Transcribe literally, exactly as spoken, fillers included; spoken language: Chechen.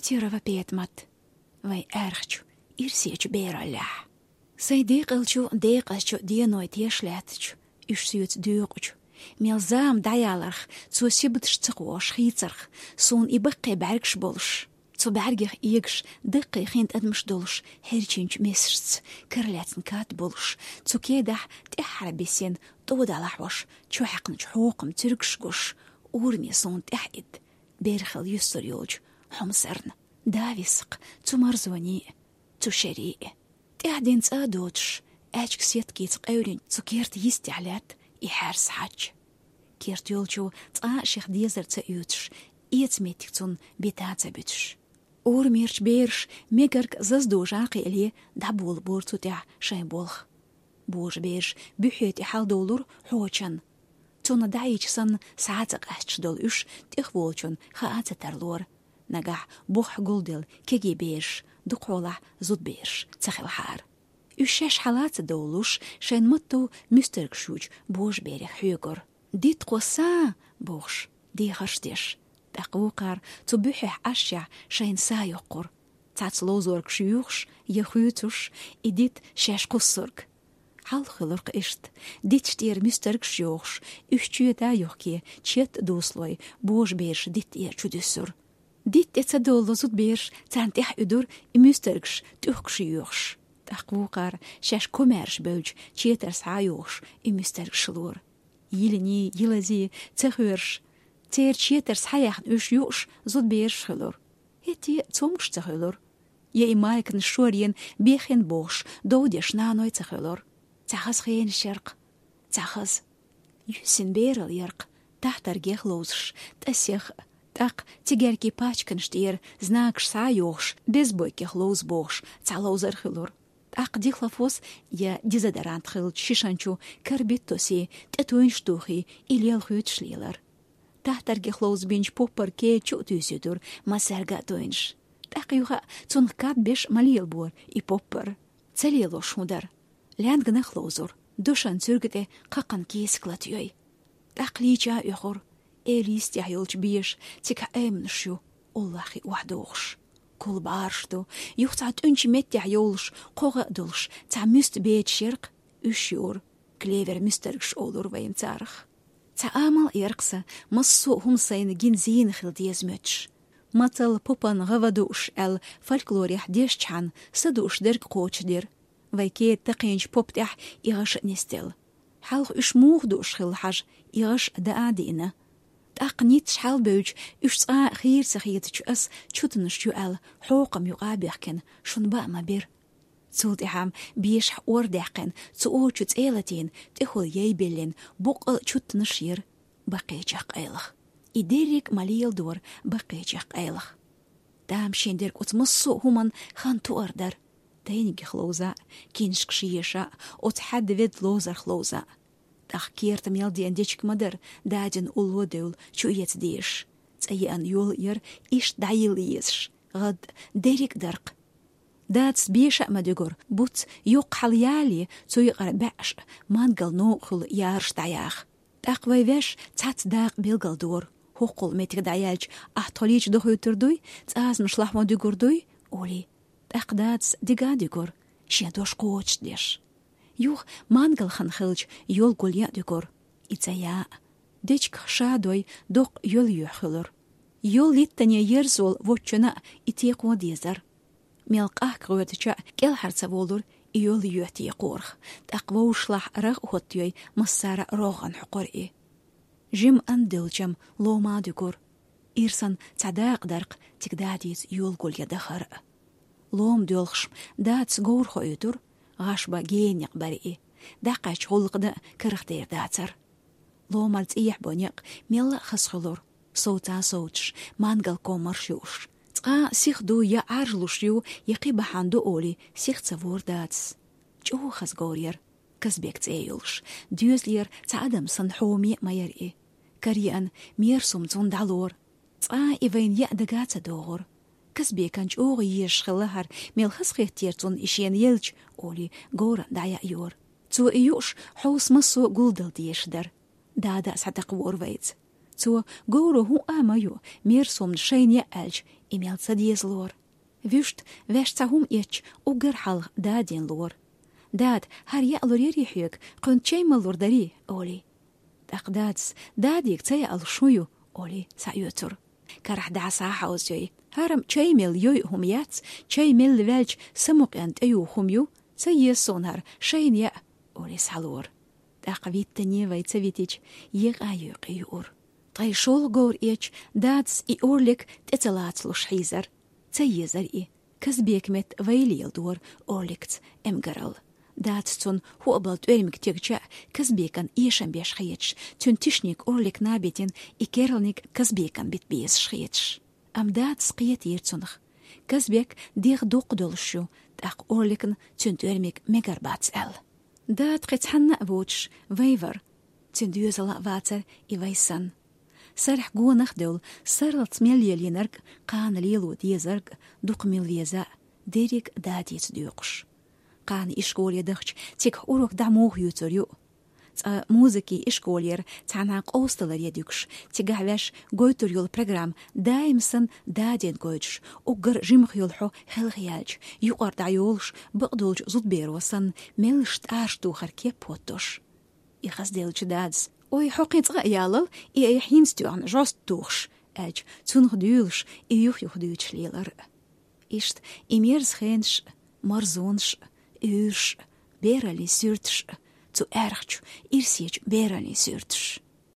Тирова Петмат, вай аьрхчу, ирсечу бераллехь. Сайн декъалчу, декъазчу деной теш лаьттачу, уьш соьца доькъучу, мел зама дӀаяларх, цо сибаташ ца кхош хийцарх, суна и баккхий бӀаьргаш болуш, цу бӀаьргех эгаш даккхий хин тӀадамаш долуш, хьерчинчу месашца каралаьцна кад болуш, цу кедахь тӀаьххьара бисина тӀо далахьош, чу хьаькхначу хьокхам цуьргаш гуш, ураме суна тӀаьхьа идда, берхал юьсур йолчу хьомсарна. Да висакх, цу марзоний, цу шерий. ТӀаьхьа дина цӀа а доцуш, аьчка сеткица къевлинчу цу керта йистехь лаьтта и хьаьрса хьач. Керта йолчо цкъа а шех дезар ца оьцуш, эца меттиг цунна бита а ца буьтуш. Урамерчу бераш мегарг заза дожа а кхиале, дӀаболабора цу тӀехь шайн болх. Божа бераш буьхье тӀе хьалдовлура хьочан. Цунна дӀаийча санна, схьа а ца къаьсташ долу уьш тӀехволчун хаа а ца тарлора. Нагахь бухахь гулделла кегий бераш, дукхахьолахь зудбераш ца хилахьара. Уьш шаьш хьала а ца довлуш, шайн матто муьстаргаш йучу божаберех хьоьгура. «Дита кхосса!» – бохуш, дехарш деш. ТӀаккха вукхара цу буьххьехь Ӏашшехь шайна са йоккхура. Цхьацца ловзоргаш йоьхуш я хуьйцуш, и дита шаьш кхуссург. Хьалха хуьлуркх иштта, диташ тӀера муьстаргаш йохуш, уьш чоьта а йохке, четта а дуслой, божабераш дита тӀера чудуьссура. Дита тӀе ца довлало зудбераш, царна тӀаьхьа уьдура и муьстаргаш тӀехкаш йоьхуш. ТӀаккха вукхара шаьш комаьрша бевлча четар схьа а йохуш, и муьстаргаш лора. Йилиний, йилазий ца хоьруш, церан четар схьаяьхна уьш юуш зудбераш хуьлура. ХӀетте а цомгуш ца хуьлура. Я и маликнаш шорйина бехйина бохуш, дов деш наной ца хуьлура. Цхьа хаза хенаш яркх, цхьа хаза. Юьссина берал яркх, тахтаргех ловзуш, тӀасех а, тӀаккха цигаьркийн пачканаш тӀера знакаш схьа а йохуш, безбойкех ловза бохуш, цхьа ловзар хуьлура. ТӀаккха дихлофос я дезодорант хиллачу шишанчу карбид тосий, тӀетуйнаш тухий, и лел хуьйцуш лелара. Тахтаргех ловзабинчу поппар кеда чу а туьйсуьйтура массаьрга а туйнаш. ТӀаккха юха а цунах кад беш ма лелабора и поппар. Ца лелош хӀун дара? Лаьнганах ловзура, дошан цуьрга тӀе кхакхана кийсак латайой. ТӀаккха лийча а оьхура, эла йистехь йолчу беша цигахь Ӏеманаш ю, уллохь хи охьадохуш. Кул бӀараш ду, юха цхьа тӀуьнчу меттехь йовлуш, кхогӀа а долуш, цхьа муьста бечаш яркх, уьш юура, клевер муьстаргаш олура вайна царах. Цхьа амал а яркх сан, массо а хӀума сайна гина зийна хила деза моьттуш. Мацалла попан гӀава дууш аьлла фольклорехь дешчхьана, са дууш дерг кхочушдира. Вай кеда такхийначу поппа тӀехь и гӀаш а нисделла. Хьалха уьш муха дууш хилла хьажа, и гӀаш а даа а диъна. ТӀаккха ницкъаш хьалабевлча, уьш цкъа а хийра ца хетачу ас чутанаш ю аьлла, хьокхам юкъа а бехкина, шуна баа ма бира. Цул тӀаьхьа бешахь ор даьккхина, цу ор чу цӀе а латийна, тӀехула яй биллина, боккъал а чутанаш яра, баккхийчех къайлаха. И дерриг а ма леладора баккхийчех къайлаха. Тамашийна дерг оцу массо а хӀуманна хан тоар дара. Тайнигех ловза а, киншкаш еша а, оцу хьаьдда ведда ловзарх ловза а. ТӀаккха керта мел деана дечиг ма дара, дадина улло а девлла, чу эца дезаш. ЦӀа еана йол а яра иштта дӀайилла езаш, гӀадда дерриг а даркх. Дадас беша а ма дуьгура, буц йоккха хьала ялале, цу юкъара баьӀаш а, мангал новкъа хуьлу яраш дӀаяха. ТӀаккха вай ваьш цхьацца дакъа билгалдора, хӀоккхул меттиг дӀаяьлча, ахь тхо лийча дохуьйтур дуй, цӀазамаш лахьон дуьгур дуй, олий. ТӀаккха дадас дига а дуьгура, шен дош кхочушдеш. Юха мангал хан хилча, йол гулъян а дуьгура, и ца яа а. Дечигах ша дой, доккха йол йоьхна хуьлура. Йол йиттане ерзал воцчунна а и текхо дезара. Мел къахка гӀоьртича а кӀелхьара ца волура и йол йоьхна текхорах, тӀаккха вовшашлахь рагӀ а хӀоттайой, массара а рогӀан хьокхура и. Жимма ан девлчам лома а дуьгура. Ирсан цхьа дакъа даркх цига дадийца йол гулъян дахар а. Лома доьлхуш дадас говр хоуьйтура, гӀаш бан генан некъ бара и, дӀакхаьчча гӀуллакх дан а карах дер дацара. Ломара цӀехьа бо некъ мелла а хаза хуьлура, совца а совцуш, мангал комарш юуш. Цкъа а сиха ду я Ӏаржлуш ю, я кхин бахьана ду олий, сиха ца вора дадас. ЧӀогӀа хаза говр яра, Казбек цӀе йолуш, доьзалера цхьа адам санна хьоме а ма яра и. Караеана, мерсум цунна дӀалора. Цкъа а и вайна яа дага а ца догӀура. Казбекан чӀогӀа езаш хилла хӀара, мел хазахетара цунна и шена елча, олий, говран дӀаяа йора. Цо и юуш, хьовса массо а гулдала дезаш дара. Дада а схьатакхавора вайца. Цо, говро хӀун а ма ю, мерсумна шайна яа аьлча, И мел ца деза лора. Вуьшта ваьш цхьа хӀума эцча, уггар хьалха дадена лора. «Дада, хӀара яа лур ярий хьоьга, кхуьнца чай мала лур дарий?» — олий. ТӀаккха дадас: «Дадига ца яалуш хӀун ю?» — олий, схьаоьцура. Карахь дӀа схьахьовзайой. «ХӀара-м чай мел йой хӀума яц, чай мелла ваьлча самукъен тӀеювха хӀума ю, ца еза суна хӀара, шайна яа», — олий, схьалора. ТӀаккха виттане вай ца витича, екъа-юкъе юура. Ткъе шолгӀа говр эцча, дадас и орлик тӀе ца лацалуш хьийзар. Ца езар и. Казбека метта вай леладора орликца эмгаралла. Дадас цунна хӀоабала тӀоьрмиг тегча а, Казбекан эшам беш хеташ, цуьнан тишниг орликна а битина, и керланиг Казбекан бита безаш хеташ. Амма дадас кхетийра цунах. Казбек дегӀ дукха долуш ю, тӀаккха орликна цуьнан тӀоьрмиг мегар бац аьлла. Дада кхин цхьанна а воцуш вай вара. Цуьнан доьзал а вацара и вай санна. Сарахь гонах а девлла, сарралц мел лелийнарг, кхана лело дезарг, дукха мила веза а, дерриг а дадица доькъуш. Кхана ишколе дахча, цигахь урок дӀа муха юьйцур ю? Цкъа музыкин ишколера цхьанхьа къовсадаларе дуьгуш, цигахь ваьш гойтур йолу программа даим санна дадина гойтуш, уггар жимах йолу хьо хелхаяьлча, юкъара дӀайолуш, бакъдолчу зудберо санна, меллаша тӀарш тухар кеп хӀоттош. И хазделлачу дадас: «Ой, хьо кхин цкъа а ялал, и айхьа хӀинца тоьхна жост тухуш», — аьлча, цунах дуьйлуш, и юх-юха дуьйцуш лелар. Иштта и мерза хенаш а, марзонаш а, уьйраш а, бераллин суьрташ а, цу аьрхачу, ирсечу бераллин суьрташ.